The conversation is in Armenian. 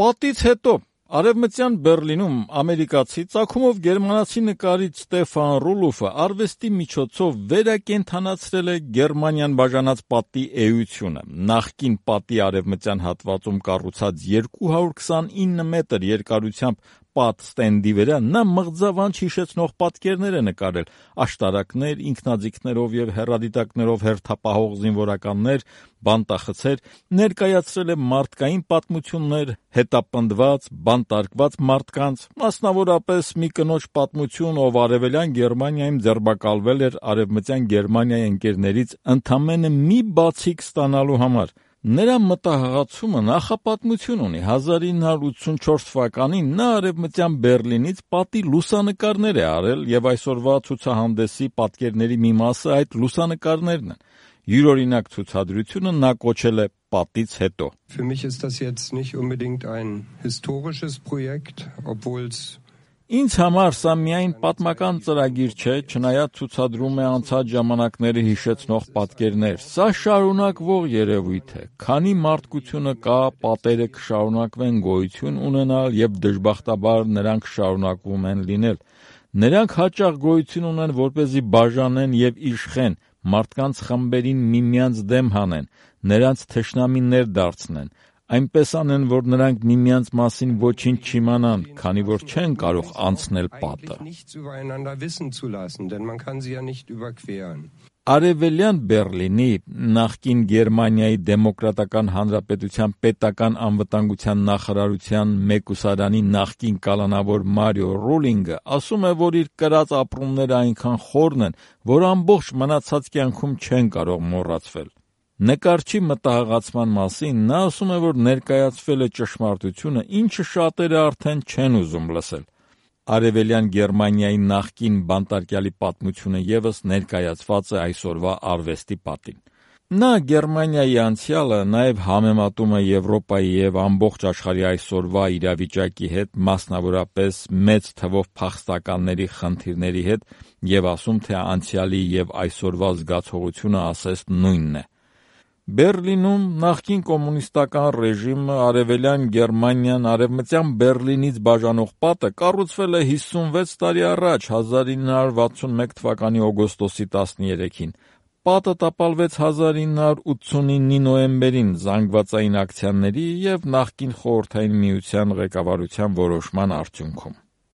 Պատից հետո Արևմտյան Բեռլինում ամերիկացի ծագումով գերմանացի նկարիչ Ստեֆան Ռուլոֆը արվեստի միջոցով վերակենդանացրել է Գերմանիան բաժանած պատի էությունը։ Նախկին պատի արևմտյան հատվածում կառուցած 229 մետր երկարությամբ պատ ստենդի վրա նա մղձավանջ հիշեցնող պատկերներ է նկարել՝ աշտարակներ, ինքնաձիգներով եւ հեռադիտակներով հերթապահող զինվորականներ, բանտախցեր, ներկայացրել է մարդկային պատմություններ, հետապնդված, բանտարկված մարդկանց, մասնավորապես մի կնոջ պատմություն, ով արևելյան Գերմանիայում ձերբակալվել էր արևմտյան Գերմանիայի ընկերներից ընդամենը մի բացիկ ստանալու համար։ Նրա մտահղացումը նախապատմություն ունի։ 1984 թվականին նա արևմտյան Բեռլինից պատի լուսանկարներ է արել եւ այսօրվա ցուցահանդեսի պատկերների մի մասը այդ լուսանկարներն են։ Յուրօրինակ ցուցադրությունը նա կոչել է «Պատից հետո»։ Für mich ist das jetzt nicht unbedingt ein historisches Projekt, obwohl es Ինձ համար սա միայն պատմական ծրագիր չէ, չնայած ցուցադրում է անցած ժամանակները հիշեցնող պատկերներ։ Սա շարունակվող երևույթ է։ Քանի մարդկությունը կա, պատերը կշարունակվեն գոյություն ունենալ եւ դժբախտաբար նրանք շարունակվում են լինել։ Նրանք հաճախ գոյություն ունեն, որպեսզի բաժանեն եւ իշխեն, մարդկանց խմբերին միմյանց դեմ հանեն, նրանց թշնամիներ դարձնեն։ Այնպես անեն, որ նրանք միմյանց մասին ոչինչ չիմանան, քանի որ չեն կարող անցնել պատը։ Արևելյան Բեռլինի, նախկին Գերմանիայի Դեմոկրատական Հանրապետության պետական անվտանգության նախարարության մեկուսարանի նախկին կալանավոր Մարիո Ռուլինգը ասում է, որ իր կրած ապրումները այնքան խորն են, որ ամբողջ մնացած կյանքում չեն կարող մոռացվել։ Նկարչի մտահղացման մասին նա ասում է, որ ներկայացվել է ճշմարտությունը, ինչը շատերը արդեն չեն ուզում լսել։ Արևելյան Գերմանիայի նախկին բանտարկյալի պատմությունը ևս ներկայացված է այսօրվա արվեստի պատին։ Նա Գերմանիայի անցյալը նաև համեմատում է Եվրոպայի եւ ամբողջ աշխարհի այսօրվա իրավիճակի հետ, մասնավորապես մեծ թվով փախստականների խնդիրների հետ, եւ ասում, թե անցյալի եւ այսօրվա զգացողությունը ասես նույնն է։ Բեռլինում նախկին կոմունիստական ռեժիմը արևելյան Գերմանիան արևմտյան Բեռլինից բաժանող պատը կառուցվել է 56 տարի առաջ, 1961 թվականի օգոստոսի 13-ին։ Պատը տապալվեց 1989-ի նոյեմբերին զանգվածային ակցիաների եւ նախկին Խորհրդային Միության ղեկավարության որոշման արդյունքում։